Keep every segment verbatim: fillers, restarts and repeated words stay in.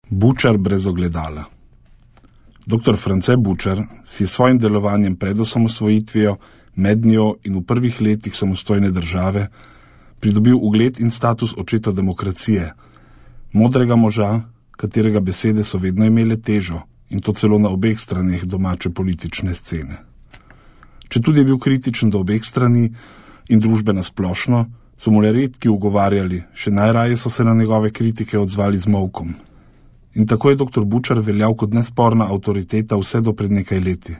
Bučar brez ogledala. Doktor France Bučar si je svojim delovanjem pred osamosvojitvijo, med njo in v prvih letih samostojne države pridobil ugled in status očeta demokracije, modrega moža, katerega besede so vedno imele težo, in to celo na obeh straneh domače politične scene. Četudi je bil kritičen do obeh strani in družbe nasplošno, so mu le redki ugovarjali, še najraje so se na njegove kritike odzvali z molkom. In tako je doktor Bučar veljal kot nesporna avtoriteta vse do pred nekaj leti.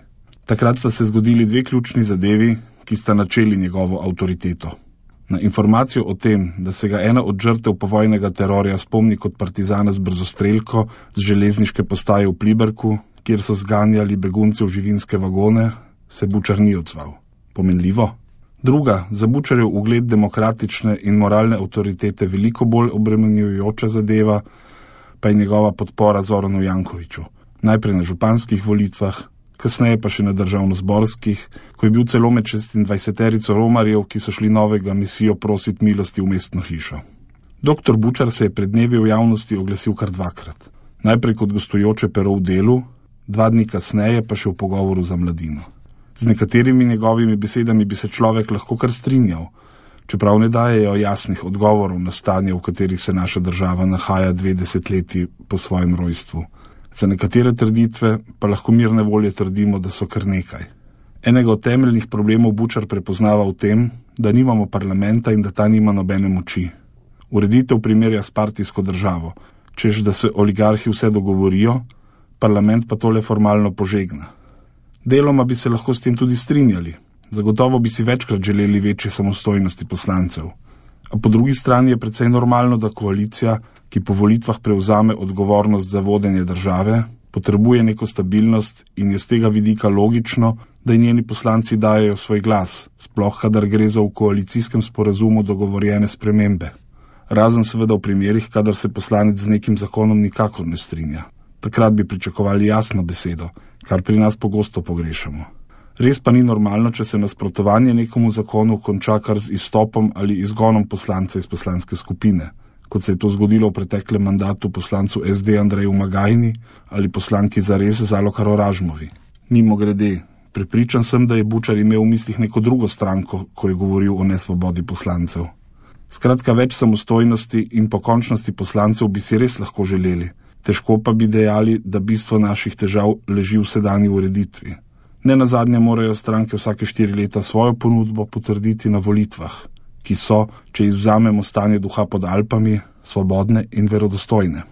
Takrat sta se zgodili dve ključni zadevi, ki sta načeli njegovo avtoriteto. Na informacijo o tem, da se ga ena od žrtev povojnega terorja spomni kot partizana z brzostrelko z železniške postaje v Pliberku, kjer so zganjali begunce v živinske vagone, se Bučar ni odzval. Pomenljivo? Druga, za Bučarjev ugled demokratične in moralne avtoritete veliko bolj obremenjujoča zadeva, pa je njegova podpora Zoranu Jankoviću. Najprej na županskih volitvah, kasneje pa še na državnozborskih, ko je bil celo med šestindvajseterico romarjev, ki so šli novega misijo prosit milosti v mestno hišo. Doktor Bučar se je pred dnevi v javnosti oglasil kar dvakrat. Najprej kot gostujoče pero v Delu, dva dni kasneje pa še v pogovoru za Mladino. Z nekaterimi njegovimi besedami bi se človek lahko kar strinjal, čeprav ne dajejo jasnih odgovorov na stanje, v katerih se naša država nahaja dve desetletji po svojem rojstvu. Za nekatere trditve pa lahko mirne volje trdimo, da so kar nekaj. Enega od temeljnih problemov Bučar prepoznava v tem, da nimamo parlamenta in da ta nima nobene moči. Ureditev primerja s partijsko državo, češ da se oligarhi vse dogovorijo, parlament pa tole formalno požegna. Deloma bi se lahko s tem tudi strinjali. Zagotovo bi si večkrat želeli večje samostojnosti poslancev. A po drugi strani je precej normalno, da koalicija, ki po volitvah prevzame odgovornost za vodenje države, potrebuje neko stabilnost in je z tega vidika logično, da njeni poslanci dajejo svoj glas, sploh kadar gre za v koalicijskem sporazumu dogovorjene spremembe. Razen seveda v primerih, kadar se poslanec z nekim zakonom nikakor ne strinja. Takrat bi pričakovali jasno besedo, kar pri nas pogosto pogrešamo. Res pa ni normalno, če se nasprotovanje nekomu zakonu konča kar z izstopom ali izgonom poslanca iz poslanske skupine, kot se je to zgodilo v preteklem mandatu poslancu es de Andreju Magajni ali poslanki Zares Zalokar Oražmovi. Mimo grede, prepričan sem, da je Bučar imel v mislih neko drugo stranko, ko je govoril o nesvobodi poslancev. Skratka, več samostojnosti in pokončnosti poslancev bi si res lahko želeli, težko pa bi dejali, da bistvo naših težav leži v sedanji ureditvi. Ne nazadnje morajo stranke vsake štiri leta svojo ponudbo potrditi na volitvah, ki so, če izvzamemo stanje duha pod Alpami, svobodne in verodostojne.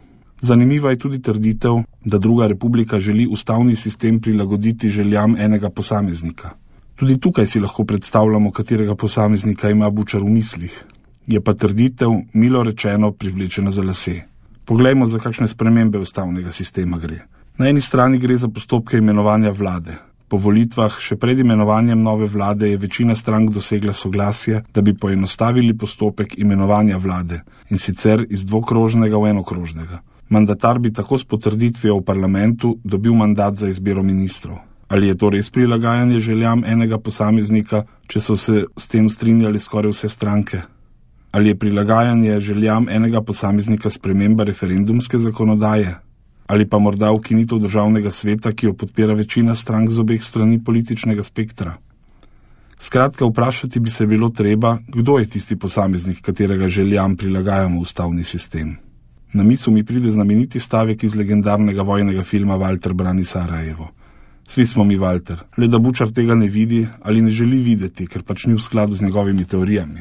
Zanimiva je tudi trditev, da druga republika želi ustavni sistem prilagoditi željam enega posameznika. Tudi tukaj si lahko predstavljamo, katerega posameznika ima Bučar v mislih. Je pa trditev, milo rečeno, privlečena za lase. Poglejmo, za kakšne spremembe ustavnega sistema gre. Na eni strani gre za postopke imenovanja vlade. Po volitvah, še pred imenovanjem nove vlade, je večina strank dosegla soglasje, da bi poenostavili postopek imenovanja vlade, in sicer iz dvokrožnega v enokrožnega. Mandatar bi tako s potrditvijo v parlamentu dobil mandat za izbiro ministrov. Ali je to res prilagajanje željam enega posameznika, če so se s tem strinjali skoraj vse stranke? Ali je prilagajanje željam enega posameznika sprememba referendumske zakonodaje? Ali pa morda ukinitev državnega sveta, ki jo podpira večina strank z obeh strani političnega spektra? Skratka, vprašati bi se bilo treba, kdo je tisti posameznik, katerega željam prilagajamo ustavni sistem. Na misel mi pride znameniti stavek iz legendarnega vojnega filma Walter brani Sarajevo. Svi smo mi Walter, le da Bučar tega ne vidi ali ne želi videti, ker pač ni v skladu z njegovimi teorijami.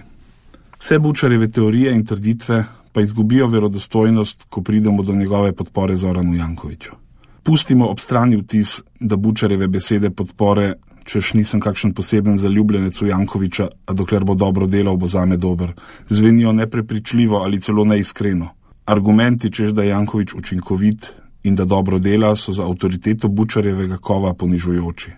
Vse Bučarjeve teorije in trditve pa izgubijo verodostojnost, ko pridemo do njegove podpore Zoranu Jankoviću. Pustimo ob strani vtis, da Bučarjeve besede podpore, češ nisem kakšen poseben zaljubljenec v Jankovića, a dokler bo dobro delal, bo zame dober, zvenijo neprepričljivo ali celo neiskreno. Argumenti, češ da je Janković učinkovit in da dobro dela, so za avtoriteto Bučarjevega kova ponižujoči.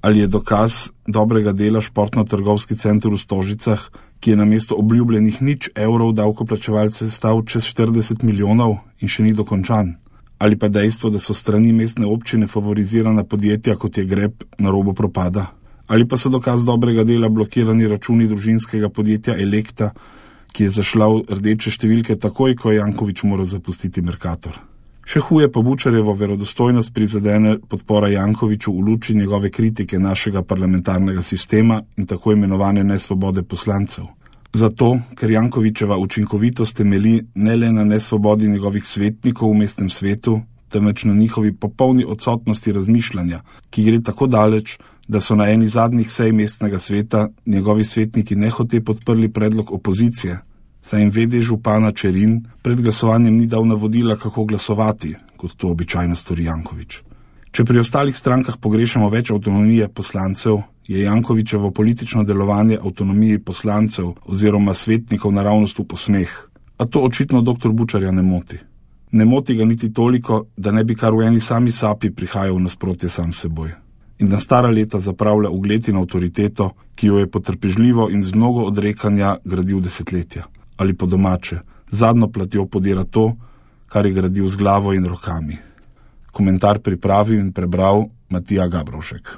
Ali je dokaz dobrega dela športno-trgovski center v Stožicah, ki je namesto obljubljenih nič evrov davkoplačevalce stal čez štirideset milijonov in še ni dokončan? Ali pa dejstvo, da so strani mestne občine favorizirana podjetja, kot je Grep, na robu propada? Ali pa so dokaz dobrega dela blokirani računi družinskega podjetja Elekta, ki je zašla v rdeče številke takoj, ko je Janković moral zapustiti Mercator? Še huje pa Bučarjevo verodostojnost prizadene podpora Jankoviću v luči njegove kritike našega parlamentarnega sistema in tako imenovane nesvobode poslancev. Zato, ker Jankovićeva učinkovitost temelji ne le na nesvobodi njegovih svetnikov v mestnem svetu, temveč na njihovi popolni odsotnosti razmišljanja, ki gre tako daleč, da so na eni zadnjih sej mestnega sveta njegovi svetniki nehote podprli predlog opozicije, saj jim vede župana Čerin pred glasovanjem ni dal navodila, kako glasovati, kot to običajno stori Janković. Če pri ostalih strankah pogrešamo več avtonomije poslancev, je Jankovićevo politično delovanje avtonomiji poslancev oziroma svetnikov naravnost v posmeh. A to očitno doktor Bučarja ne moti. Ne moti ga niti toliko, da ne bi kar v eni sami sapi prihajal v nasprotje sam seboj. In na stara leta zapravlja ugled in avtoriteto, ki jo je potrpežljivo in z mnogo odrekanja gradil desetletja. Ali po domače, zadnjo platjo podira to, kar je gradil z glavo in rokami. Komentar pripravil in prebral Matija Gabrovšek.